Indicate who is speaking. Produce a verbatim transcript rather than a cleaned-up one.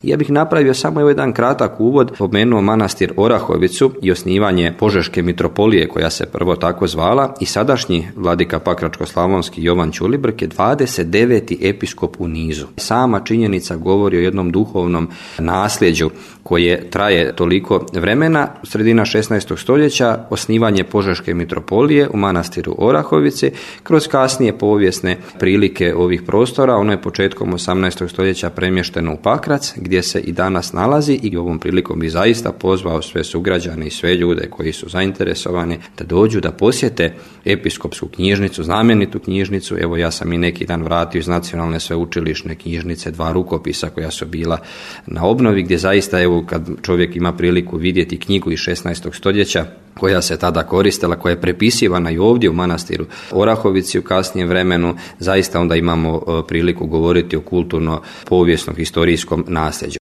Speaker 1: Ja bih napravio samo jedan kratak uvod, spomenuo manastir Orahovicu i osnivanje Požeške mitropolije koja se prvo tako zvala i sadašnji vladika Pakračko-slavonski Jovan Ćulibrk je dvadeset deveti episkop u nizu. Sama činjenica govori o jednom duhovnom nasljeđu koje traje toliko vremena. Sredina šesnaestog stoljeća osnivanje Požeške mitropolije u manastiru Orahovici kroz kasnije povijesne prilike ovih prostora. Ono je početkom osamnaestog stoljeća premješteno u Pakrac, gdje se i danas nalazi, i ovom prilikom bi zaista pozvao sve sugrađane i sve ljude koji su zainteresovani da dođu da posjete episkopsku knjižnicu, znamenitu knjižnicu. Evo, ja sam i neki dan vratio iz Nacionalne sveučilišne knjižnice dva rukopisa koja su bila na obnovi, gdje zaista, evo, kad čovjek ima priliku vidjeti knjigu iz šesnaestog stoljeća koja se tada koristila, koja je prepisivana i ovdje u manastiru Orahovici u kasnijem vremenu, zaista onda imamo priliku govoriti o kulturno-povijesnom historijskom nasljeđu.